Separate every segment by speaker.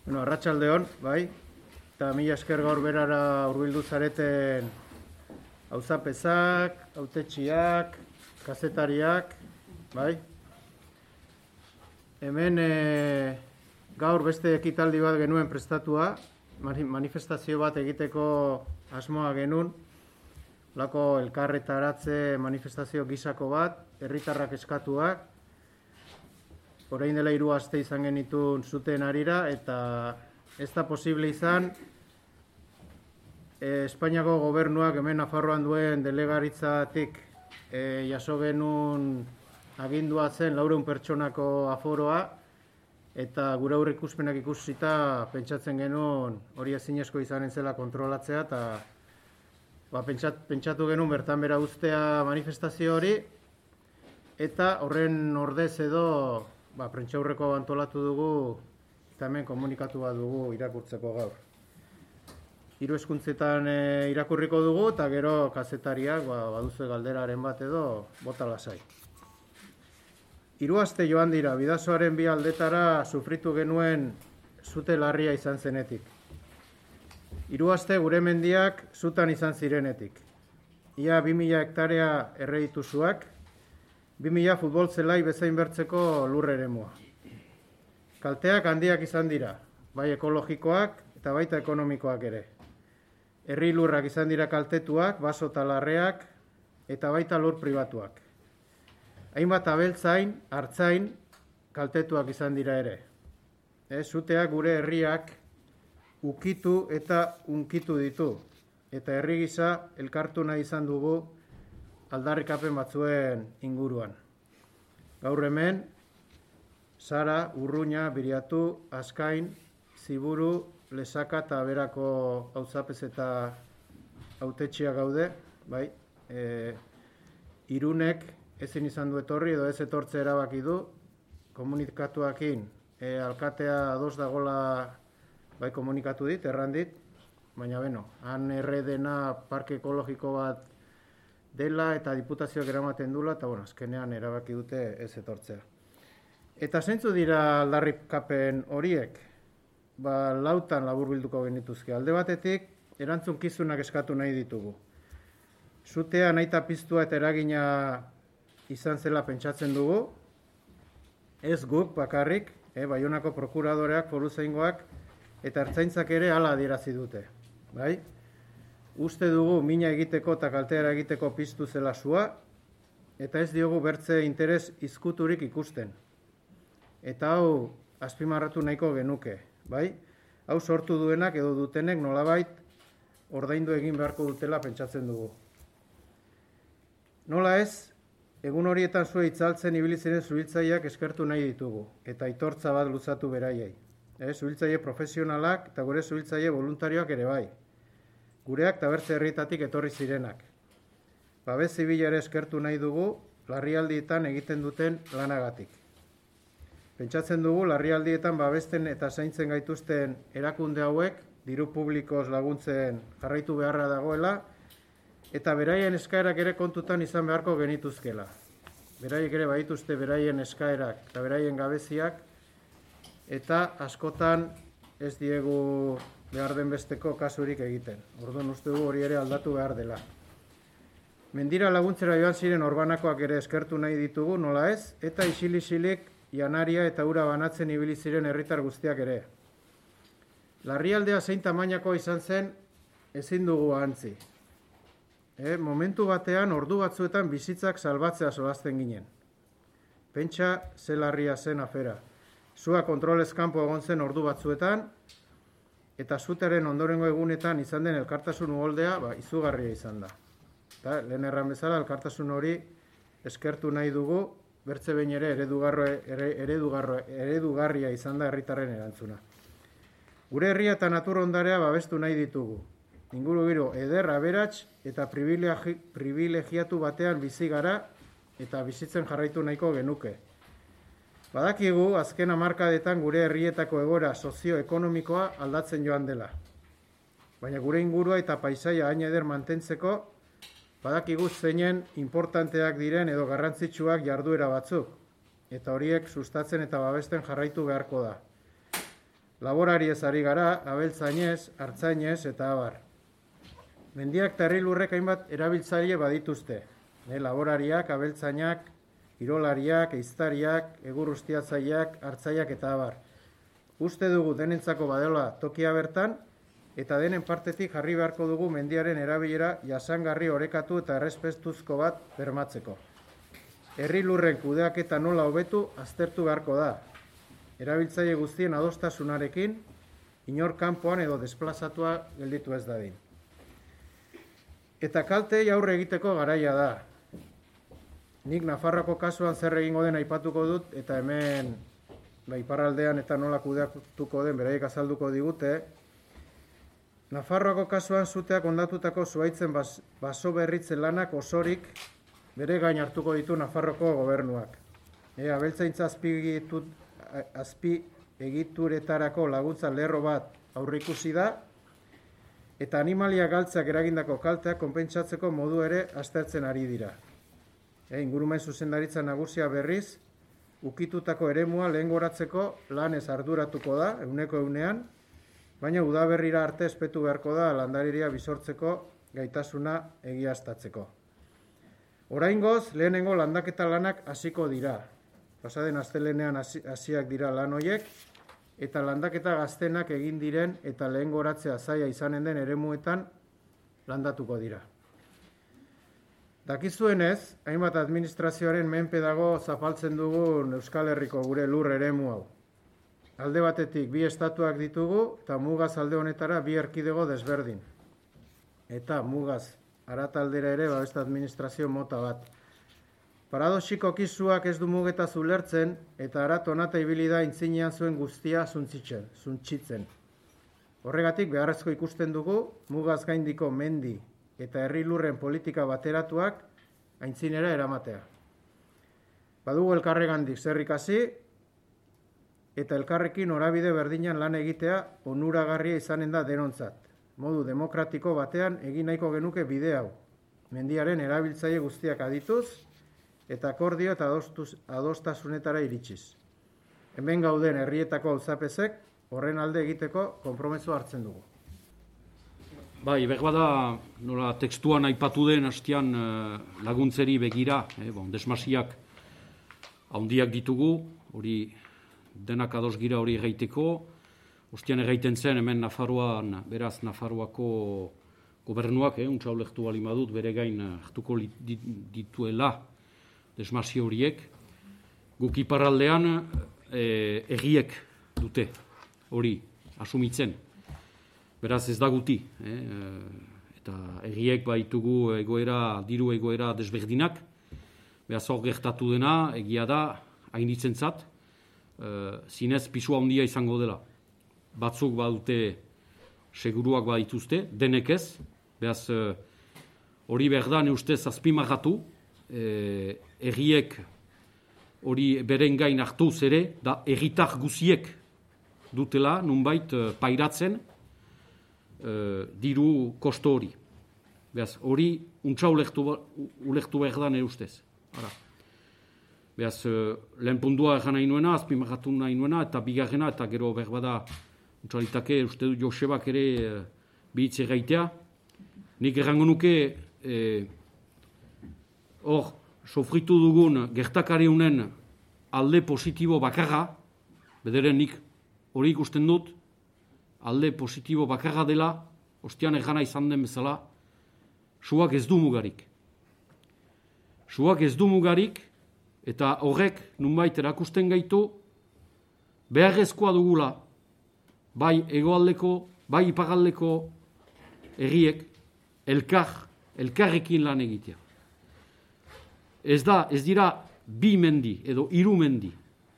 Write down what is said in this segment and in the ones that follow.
Speaker 1: Bueno, arratsaldeon, bai, eta mila esker gaur berara hurbildu zareten auzapezak, hautetsiak, kazetariak, bai. Hemen gaur beste ekitaldi bat genuen prestatua, manifestazio bat egiteko asmoa genuen, lako elkarretaratze manifestazio gisako bat, herritarrak eskatuak, orain dela 3 aste izan genitun zuten harira, eta ez da posible izan Espainiako gobernuak hemen Nafarroan duen delegaritzatik jaso genuen agindua zen 400 pertsonako aforoa, eta gure aurreikuspenak ikusita pentsatzen genuen hori ezinezko izanen zela kontrolatzea, eta pentsatu genuen bertan bera uztea manifestazio hori, eta horren ordez edo prentsaurreko antolatu dugu eta hemen komunikatu bat dugu irakurtzeko gaur. 3 hizkuntzetan irakurriko dugu eta gero kazetariak baduzu galderaren bat edo bota lasai. 3 aste joan dira, Bidasoaren 2 aldetara sufritu genuen sute larria izan zenetik. 3 aste gure mendiak zutan izan zirenetik. Ia 2000 hektarea erredituzuak, 2000 futbol zelai bezain bertzeko lur eremua. Kalteak handiak izan dira, bai ekologikoak eta baita ekonomikoak ere. Herri lurrak izan dira kaltetuak, baso eta larreak eta baita lur pribatuak. Hainbat abeltzain, hartzain kaltetuak izan dira ere. Zuteak gure herriak ukitu eta unkitu ditu, eta herri gisa elkartu nahi izan dugu aldarrikapen batzuen inguruan. Gaur hemen, Sara, Urruña, Biriatu, Azkain, Ziburu, Lesaka eta berako auzapez eta hautetxia gaude, bai. Irunek ezin izan du etorri edo ez etortze erabaki du, komunikatuakin alkatea ados dagola bai komunikatu dit, erran dit, baina beno, han erredena parke ekologiko bat dela eta diputazioak eramaten dula, eta azkenean erabaki dute ez etortzea. Eta zeintzu dira aldarrikapen horiek? Lautan laburbilduko genituzke. Alde batetik, erantzunkizunak eskatu nahi ditugu. Zutea nahita piztua eta eragina izan zela pentsatzen dugu, ez guk bakarrik, Baionako prokuradoreak, foruzaingoak eta ertzaintzak ere hala adierazi dute. Bai? Uste dugu mina egiteko eta kalteara egiteko piztu zela sua, eta ez diogu bertze interes izkuturik ikusten. Eta hau azpimarratu nahiko genuke, bai? Hau sortu duenak edo dutenek nolabait ordaindu egin beharko dutela pentsatzen dugu. Nola ez, egun horietan zue itzaltzen ibili ziren zuhiltzaileak eskertu nahi ditugu, eta aitortza bat luzatu beraiei. Zuhiltzaile profesionalak eta gure zuhiltzaile voluntarioak ere bai. Gureak eta bertze herrietatik etorri zirenak. Babes zibila ere eskertu nahi dugu larrialdietan egiten duten lanagatik. Pentsatzen dugu larrialdietan babesten eta zaintzen gaituzten erakunde hauek diru publikoz laguntzen jarraitu beharra dagoela eta beraien eskaerak ere kontutan izan beharko genituzkela. Beraiek ere badituzte beraien eskaerak eta beraien gabeziak eta askotan ez diegu behar den besteko kasurik egiten. Orduan uste dugu hori ere aldatu behar dela. Mendira laguntzera joan ziren orbanakoak ere eskertu nahi ditugu, nola ez, eta isil-isilik janaria eta ura banatzen ibili ziren herritar guztiak ere. Larrialdea zein tamainako izan zen ezin dugu ahantzi. Momentu batean ordu batzuetan bizitzak salbatzea solasten ginen. Pentsa ze larria zen afera. Sua kontrolez kanpo egon zen ordu batzuetan, eta zutearen ondorengo egunetan izan den elkartasun uholdea izugarria izan da. Lehen erran bezala, elkartasun hori eskertu nahi dugu, bertze behin ere eredugarria izan da herritarren erantzuna. Gure herria eta natur ondarea babestu nahi ditugu. Ingurugiro eder, aberats eta privilegiatu batean bizi gara eta bizitzen jarraitu nahiko genuke. Badakigu, azken hamarkadetan gure herrietako egoera sozioekonomikoa aldatzen joan dela. Baina gure ingurua eta paisaia hain eder mantentzeko, badakigu zeinen importanteak diren edo garrantzitsuak jarduera batzuk, eta horiek sustatzen eta babesten jarraitu beharko da. Laborariez ari gara, abeltzainez, artzainez eta abar. Mendiak eta herri lurrek hainbat erabiltzaile badituzte. Laborariak, abeltzainak, kirolariak, ehiztariak, egur ustiatzaileak, artzaiak eta abar. Uste dugu denentzako badela tokia bertan, eta denen partetik jarri beharko dugu mendiaren erabilera jasangarri orekatu eta errespetuzko bat bermatzeko. Herri lurren kudeaketa nola hobetu aztertu beharko da. Erabiltzaile guztien adostasunarekin, inor kanpoan edo desplazatua gelditu ez dadin. Eta kaltei aurre egiteko garaia da. Nik Nafarroako kasuan zer egingo den aipatuko dut, eta hemen iparraldean eta nola kudeatuko den beraiek azalduko digute. Nafarroako kasuan suteak ondatutako zuhaitzen baso berritzen lanak osorik bere gain hartuko ditu Nafarroko gobernuak. Abeltzaintza azpi egituretarako laguntza lerro bat aurreikusi da, eta animalia galtzeak eragindako kalteak konpentsatzeko modu ere aztertzen ari dira. Ingurumen zuzendaritza nagusia berriz, ukitutako eremua lehengoratzeko lanez arduratuko da, 100%, baina udaberrira arte espetu beharko da landariria bizortzeko gaitasuna egiaztatzeko. Oraingoz, lehenengo landaketa lanak hasiko dira. Pasaden astelehenean hasiak dira lan horiek, eta landaketa gaztenak egin diren eta lehengoratzea zaila izanen den eremuetan landatuko dira. Dakizuenez, hainbat administrazioaren menpe dago zapaltzen dugun Euskal Herriko gure lur eremu hau. Alde batetik bi estatuak ditugu eta mugaz alde honetara bi erkidego desberdin. Eta mugaz arataldera ere beste administrazio mota bat. Paradoxiko kizuak ez du mugetaz ulertzen eta arat honata ibili da intzinean zuen guztia zuntzitzen. Horregatik beharrezko ikusten dugu mugaz gaindiko mendi eta herri lurren politika bateratuak aintzinera eramatea. Badugu elkarregandik zer ikasi eta elkarrekin norabide berdinan lan egitea onuragarria izanen da denontzat. Modu demokratiko batean egin nahiko genuke bide hau. Mendiaren erabiltzaile guztiak adituz eta akordio eta adostasunetara iritsiz. Hemen gauden herrietako auzapezek horren alde egiteko konpromiso hartzen dugu.
Speaker 2: Bai, berbada nola tekstuan aipatu den hastian laguntzeri begira, desmasiak handiak ditugu, hori denak ados gira hori egaiteko. Ostian egaiten zen hemen Nafarroan, beraz Nafarroako gobernuak, untsa ulektu bali badut, bere gain hartuko dituela desmasio horiek. Guk iparraldean egiek dute hori asumitzen. Beraz ez da guti, eta egiek baitugu diru egoera desberdinak, beraz hor gertatu dena, egia da, hainitzentzat, zinez pisua handia izango dela. Batzuk badute seguruak badituzte, denek ez, beraz hori behar da neustez azpimagatu, egiek hori beren gain hartuz ere, da egitar guziek dutela, nunbait pairatzen, diru kosto hori. Beaz, hori untsa ulektu behar da nire ustez. Beaz, lehen puntua egan nahi nuena, azpimagatu nahi nuena, eta bigarrena, eta gero behar bada untsa uste du Josebak ere bihitze gaitea. Nik errango nuke, hor, sofritu dugun gertakari honen alde positibo bakarra, bederen nik hori ikusten dut, alde positibo bakarra dela, ostian egana izan den bezala, suak ez du mugarik. Suak ez du mugarik, eta horrek nunbait erakusten gaitu, beharrezkoa dugula, bai hegoaldeko, bai iparraldeko herriek, elkarrekin lan egitea. Ez dira bi mendi, edo hiru mendi.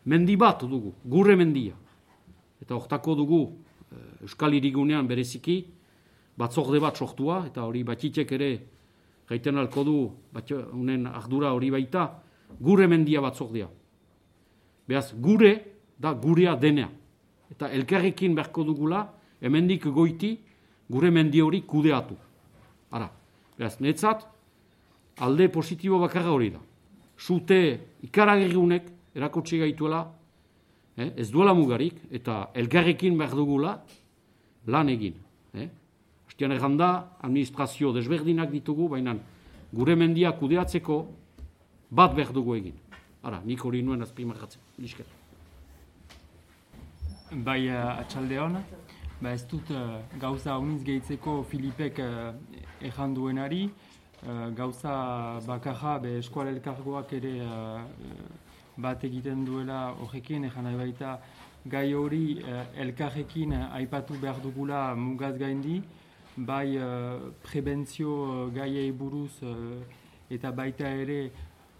Speaker 2: Mendi bat dugu, gure mendia. Eta hortako dugu, Euskal Hirigunean bereziki, batzorde bat sortua, eta hori batxitek ere gaiten alko du, honen ardura hori baita, gure mendia batzordea. Beaz, gure da gurea denea. Eta elkarrekin beharko dugula, hemendik goiti, gure mendi hori kudeatu. Beaz, netzat, alde positibo bakarra hori da. Zute ikaragarri honek erakutsi gaituela, ez duela mugarik, eta elkarrekin behar dugula lan egin. Hastian erranda, administrazio desberdinak ditugu, baina gure mendia kudeatzeko bat behar dugu egin. Ara, nik hori nuen azpimarratzen. Lisker.
Speaker 3: Bai, atxaldeon. Ez dut gauza honitz gehitzeko Filipek erran duenari. Gauza bakarra eskual elkargoak ere bat egiten duela horrekin, erran nahi baita gai hori elkarrekin aipatu behar dugula mugaz gaindi, bai prebentzio gaiei buruz eta baita ere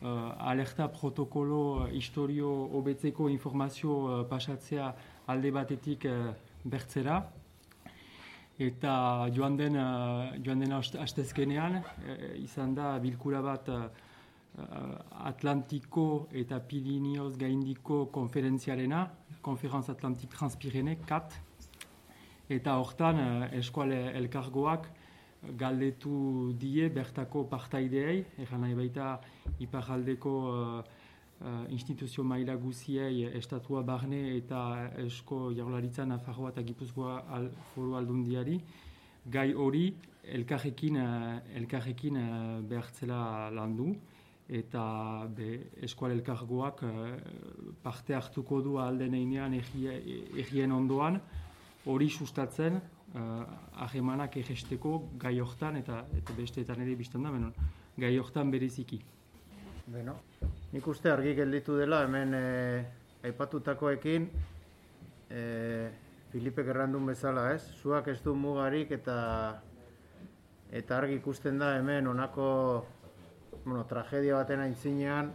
Speaker 3: alerta protokolo historio hobetzeko informazio pasatzea alde batetik bertzera. Eta joan den astezkenean izan da bilkura bat Atlantiko eta Pirineos gaindiko konferentziarena, Konferenz Atlantik Transpirene, CAT. Eta hortan eskual elkargoak galdetu die bertako partaideei, erran nahi baita iparraldeko instituzio maila guziei estatua barne eta esko jaurlaritza Nafarroa eta Gipuzkoa foru aldundiari, gai hori elkarrekin behartzela landu, eta eskual elkargoak parte hartuko du alden einean errien ondoan, hori sustatzen ahemanak egesteko gai hortan, eta besteetan ere biztan da, gai hortan bereziki.
Speaker 1: Beno, nik uste argi gelditu dela hemen aipatutakoekin Filipek errandun bezala, ez? Zuak ez du mugarik eta argi ikusten da hemen honako tragedia baten aintzinean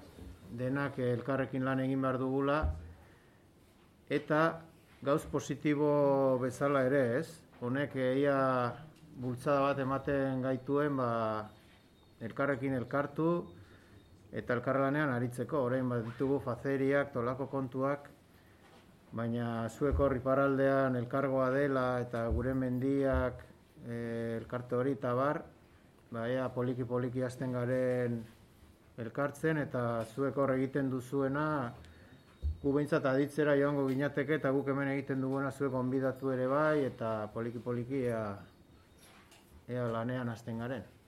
Speaker 1: denak elkarrekin lan egin behar dugula eta gauz positibo bezala ere, ez? Honek ia bultzada bat ematen gaituen elkarrekin elkartu eta elkarlanean aritzeko, orain bat ditugu fazeriak, tolako kontuak, baina zuek hor iparraldean elkargoa dela eta gure mendiak elkarte hori eta bar, poliki hasten garen elkartzen eta zuek hor egiten duzuena gu behintzat aditzera joango ginateke eta guk hemen egiten duguna zuek onbidatu ere bai eta poliki ea lanean hasten garen.